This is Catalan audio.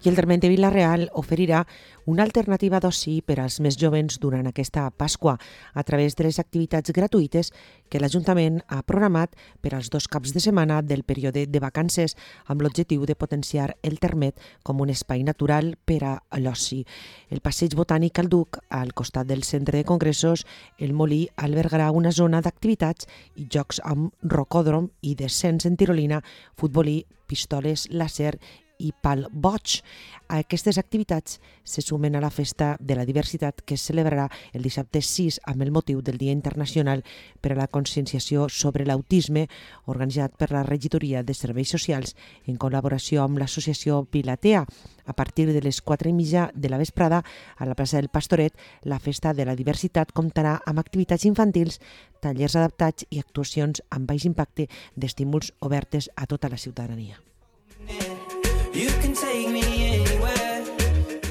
I el Terment de Vila-real oferirà una alternativa d'oci per als més jovens durant aquesta Pasqua a través de les activitats gratuïtes que l'Ajuntament ha programat per als 2 caps de setmana del període de vacances amb l'objectiu de potenciar el Termet com un espai natural per a l'oci. El passeig botànic al Duc, al costat del centre de congressos, el Molí albergarà una zona d'activitats i jocs amb rocòdrom i descens en tirolina, futbolí, pistoles, làser i pal boig. Aquestes activitats se sumen a la Festa de la Diversitat que es celebrarà el dissabte 6 amb el motiu del Dia Internacional per a la Conscienciació sobre l'Autisme, organitzat per la Regidoria de Serveis Socials en col·laboració amb l'Associació Pilatea. A partir de les 4:30 de la vesprada, a la plaça del Pastoret, la Festa de la Diversitat comptarà amb activitats infantils, tallers adaptats i actuacions amb baix impacte d'estímuls obertes a tota la ciutadania.